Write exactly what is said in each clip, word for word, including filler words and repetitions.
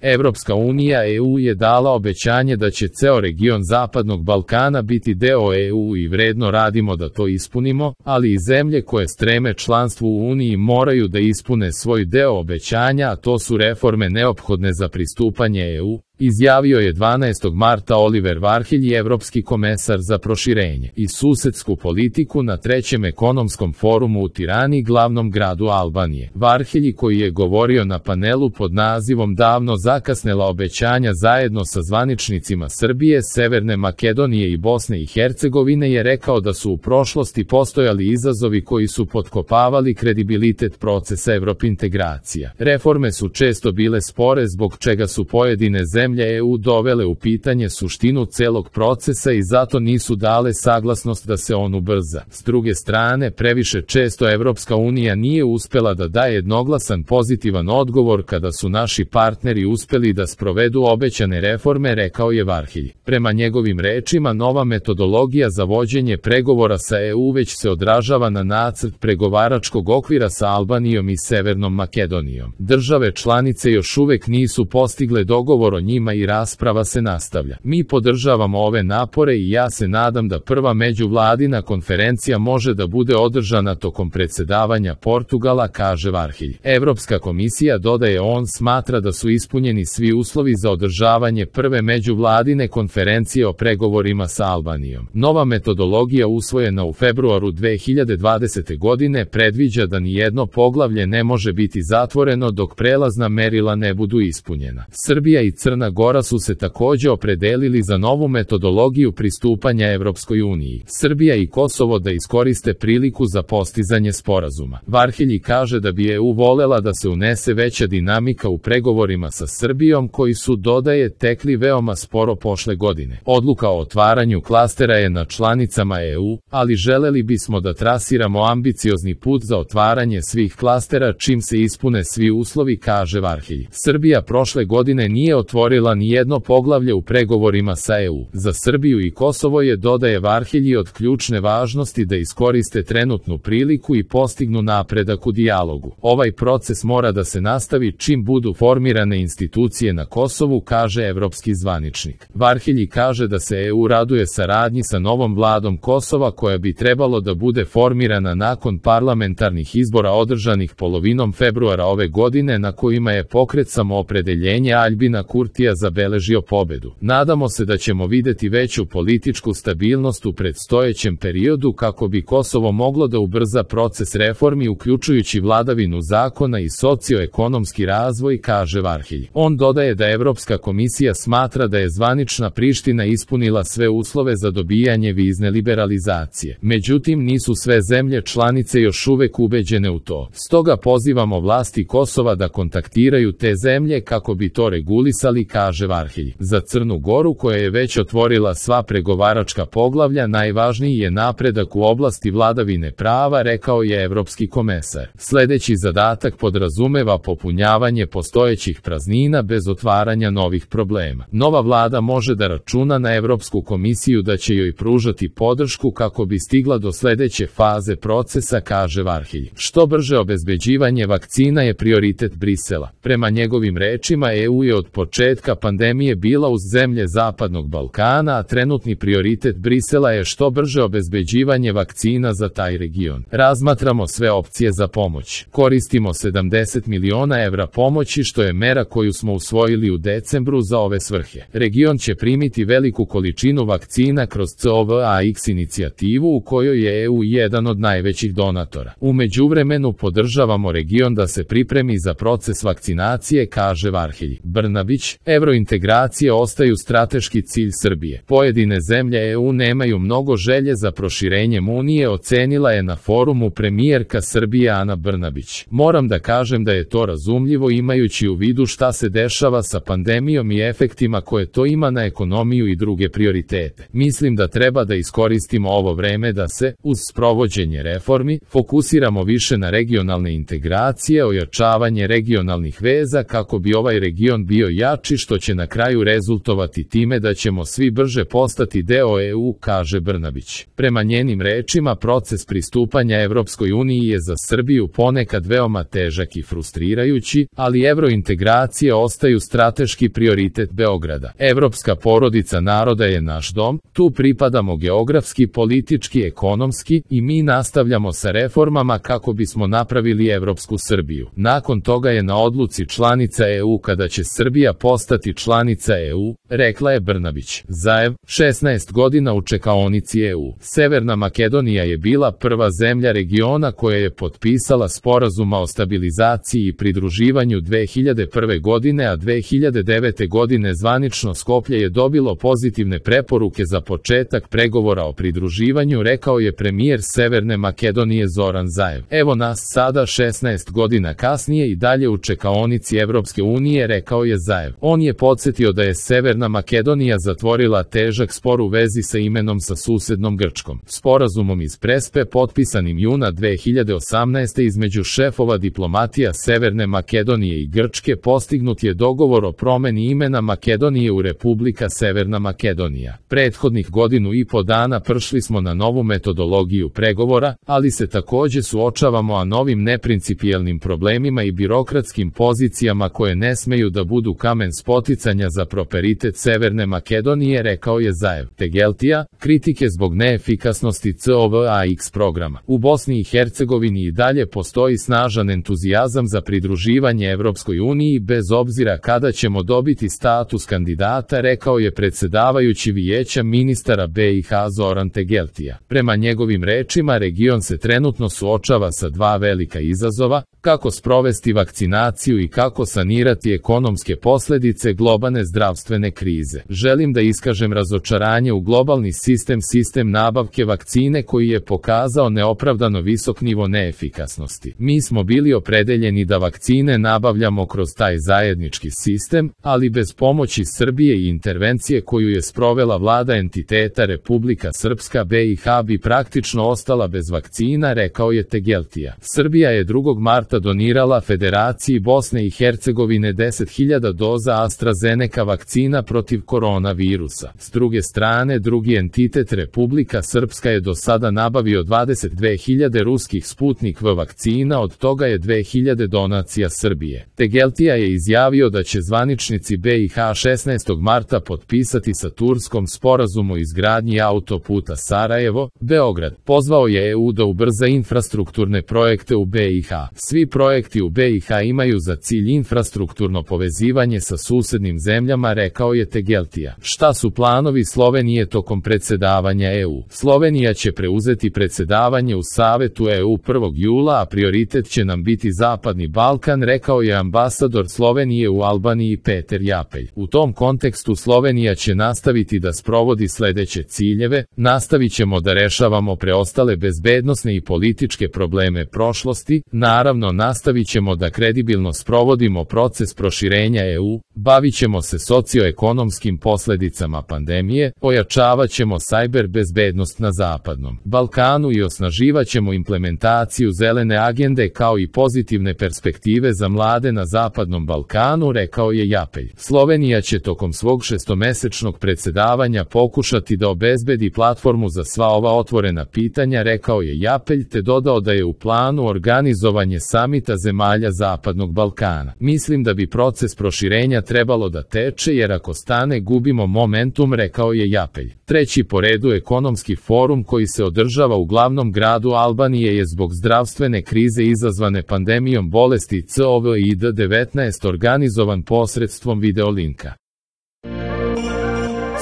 Evropska unija E U je dala obećanje da će ceo region Zapadnog Balkana biti deo E U i vredno radimo da to ispunimo, ali i zemlje koje streme članstvu u Uniji moraju da ispune svoj deo obećanja, a to su reforme neophodne za pristupanje E U, izjavio je dvanaestog marta Oliver Varhelji, evropski komesar za proširenje i susedsku politiku na trećem ekonomskom forumu u Tirani, glavnom gradu Albanije. Varhelji, koji je govorio na panelu pod nazivom Davno zakasnela obećanja zajedno sa zvaničnicima Srbije, Severne Makedonije i Bosne i Hercegovine, je rekao da su u prošlosti postojali izazovi koji su potkopavali kredibilitet procesa evropintegracija. Reforme su često bile spore, zbog čega su pojedine zemlje Zemlje E U dovele u pitanje suštinu celog procesa i zato nisu dale saglasnost da se on ubrza. S druge strane, previše često Evropska unija nije uspela da daje jednoglasan pozitivan odgovor kada su naši partneri uspeli da sprovedu obećane reforme, rekao je Varhelji. Prema njegovim rečima, nova metodologija za vođenje pregovora sa E U već se odražava na nacrt pregovaračkog okvira sa Albanijom i Severnom Makedonijom. Države članice još uvek nisu postigle dogovor o njima i rasprava se nastavlja. Mi podržavamo ove napore i ja se nadam da prva međuvladina konferencija može da bude održana tokom predsedavanja Portugala, kaže Varhelji. Evropska komisija, dodaje on, smatra da su ispunjeni svi uslovi za održavanje prve međuvladine konferencije o pregovorima sa Albanijom. Nova metodologija usvojena u februaru dve hiljade dvadesete. godine predviđa da nijedno poglavlje ne može biti zatvoreno dok prelazna merila ne budu ispunjena. Srbija i Crna Gora su se takođe opredelili za novu metodologiju pristupanja Evropskoj uniji. Srbija i Kosovo da iskoriste priliku za postizanje sporazuma. Varhelji kaže da bi E U volela da se unese veća dinamika u pregovorima sa Srbijom, koji su, dodaje, tekli veoma sporo prošle godine. Odluka o otvaranju klastera je na članicama E U, ali želeli bismo da trasiramo ambiciozni put za otvaranje svih klastera čim se ispune svi uslovi, kaže Varhelji. Srbija prošle godine nije otvorila ni jedno poglavlje u pregovorima sa E U. Za Srbiju i Kosovo je, dodaje Varhelji, od ključne važnosti da iskoriste trenutnu priliku i postignu napredak u dijalogu. Ovaj proces mora da se nastavi čim budu formirane institucije na Kosovu, kaže evropski zvaničnik. Varhelji kaže da se E U raduje saradnji sa novom vladom Kosova, koja bi trebalo da bude formirana nakon parlamentarnih izbora održanih polovinom februara ove godine, na kojima je pokret Samoopredeljenje Aljbina Kurtija zabeležio pobedu. Nadamo se da ćemo videti veću političku stabilnost u predstojećem periodu kako bi Kosovo moglo da ubrza proces reformi, uključujući vladavinu zakona i socioekonomski razvoj, kaže Varhelji. On dodaje da Evropska komisija smatra da je zvanična Priština ispunila sve uslove za dobijanje vizne liberalizacije. Međutim, nisu sve zemlje članice još uvek ubeđene u to. Stoga pozivamo vlasti Kosova da kontaktiraju te zemlje kako bi to regulisali, kaže Varhelji. Za Crnu Goru, koja je već otvorila sva pregovaračka poglavlja, najvažniji je napredak u oblasti vladavine prava, rekao je evropski komesar. Sledeći zadatak podrazumeva popunjavanje postojećih praznina bez otvaranja novih problema. Nova vlada može da računa na Evropsku komisiju da će joj pružati podršku kako bi stigla do sledeće faze procesa, kaže Varhelji. Što brže obezbeđivanje vakcina je prioritet Brisela. Prema njegovim rečima, E U je od početka pandemije bila uz zemlje Zapadnog Balkana, a trenutni prioritet Brisela je što brže obezbeđivanje vakcina za taj region. Razmatramo sve opcije za pomoć. Koristimo sedamdeset miliona evra pomoći, što je mera koju smo usvojili u decembru za ove svrhe. Region će primiti veliku količinu vakcina kroz C O V A X inicijativu, u kojoj je E U jedan od najvećih donatora. U međuvremenu podržavamo region da se pripremi za proces vakcinacije, kaže Varhelji. Brnabić, evrointegracije ostaju strateški cilj Srbije. Pojedine zemlje E U nemaju mnogo želje za proširenjem Unije, ocenila je na forumu premijerka Srbije Ana Brnabić. Moram da kažem da je to razumljivo imajući u vidu šta se dešava sa pandemijom i efektima koje to ima na ekonomiju i druge prioritete. Mislim da treba da iskoristimo ovo vreme da se, uz sprovođenje reformi, fokusiramo više na regionalne integracije, ojačavanje regionalnih veza kako bi ovaj region bio jači, što će na kraju rezultovati time da ćemo svi brže postati deo E U, kaže Brnabić. Prema njenim rečima, proces pristupanja Evropskoj uniji je za Srbiju ponekad veoma težak i frustrirajući, ali evrointegracije ostaju strateški prioritet Beograda. Evropska porodica naroda je naš dom, tu pripadamo geografski, politički, ekonomski i mi nastavljamo sa reformama kako bismo napravili Evropsku Srbiju. Nakon toga je na odluci članica E U kada će Srbija postati članica E U, rekla je Brnabić. Zaev, šesnaest godina u čekaonici E U. Severna Makedonija je bila prva zemlja regiona koja je potpisala sporazuma o stabilizaciji i pridruživanju dve hiljade prve godine, a dve hiljade devete godine zvanično Skoplje je dobilo pozitivne preporuke za početak pregovora o pridruživanju, rekao je premijer Severne Makedonije Zoran Zaev. Evo nas sada šesnaest godina kasnije i dalje u čekaonici Evropske unije, rekao je Zaev. On je podsjetio da je Severna Makedonija zatvorila težak spor u vezi sa imenom sa susednom Grčkom. Sporazumom iz Prespe potpisanim juna dve hiljade osamnaeste. između šefova diplomatija Severne Makedonije i Grčke postignut je dogovor o promeni imena Makedonije u Republika Severna Makedonija. Prethodnih godinu i po dana prešli smo na novu metodologiju pregovora, ali se takođe suočavamo a novim neprincipijelnim problemima i birokratskim pozicijama koje ne smeju da budu kamen spoticanja za prosperitet Severne Makedonije, rekao je Zaev. Tegeltija, kritike zbog neefikasnosti C O V A X programa. U Bosni i Hercegovini i dalje postoji snažan entuzijazam za pridruživanje Evropskoj uniji bez obzira kada ćemo dobiti status kandidata, rekao je predsedavajući Vijeća ministara B i H Zoran Tegeltija. Prema njegovim rečima, region se trenutno suočava sa dva velika izazova, kako sprovesti vakcinaciju i kako sanirati ekonomske posledice globalne zdravstvene krize. Želim da iskažem razočaranje u globalni sistem sistem nabavke vakcine koji je pokazao neopravdano visok nivo neefikasnosti. Mi smo bili opredeljeni da vakcine nabavljamo kroz taj zajednički sistem, ali bez pomoći Srbije i intervencije koju je sprovela vlada entiteta Republika Srpska B i H bi praktično ostala bez vakcina, rekao je Tegeltija. Srbija je drugog marta donirala Federaciji Bosne i Hercegovine deset hiljada doza AstraZeneca vakcina protiv koronavirusa. S druge strane, drugi entitet Republika Srpska je do sada nabavio dvadeset dve hiljade ruskih Sputnik V vakcina, od toga je dve hiljade donacija Srbije. Tegeltija je izjavio da će zvaničnici B i H šesnaestog marta potpisati sa Turskom sporazum o izgradnji autoputa Sarajevo-Beograd. Pozvao je E U da ubrza infrastrukturne projekte u B i H. Svi projekti u B i H imaju za cilj infrastrukturno povezivanje sa susednim zemljama, rekao je Tegeltija. Šta su planovi Slovenije tokom predsedavanja E U? Slovenija će preuzeti predsedavanje u Savetu E U prvog jula, a prioritet će nam biti Zapadni Balkan, rekao je ambasador Slovenije u Albaniji Peter Japelj. U tom kontekstu Slovenija će nastaviti da sprovodi sledeće ciljeve, nastavit ćemo da rešavamo preostale bezbednosne i političke probleme prošlosti, naravno nastavit ćemo da kredibilno sprovodimo proces proširenja E U, bavit ćemo se socioekonomskim posledicama pandemije, ojačavat ćemo sajber bezbednost na Zapadnom Balkanu i osnaživat ćemo implementaciju zelene agende kao i pozitivne perspektive za mlade na Zapadnom Balkanu, rekao je Japelj. Slovenija će tokom svog šestomesečnog predsedavanja pokušati da obezbedi platformu za sva ova otvorena pitanja, rekao je Japelj, te dodao da je u planu organizovanje samita zemalja Zapadnog Balkana. Mislim da bi proces proširenja trebalo da teče jer ako stane gubimo momentum, rekao je Japelj. Treći po redu ekonomski forum koji se održava u glavnom gradu Albanije je zbog zdravstvene krize izazvane pandemijom bolesti C O V I D devetnaest organizovan posredstvom videolinka.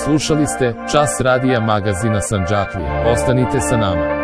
Slušali ste Čas radija magazina Sandžaklija. Ostanite sa nama.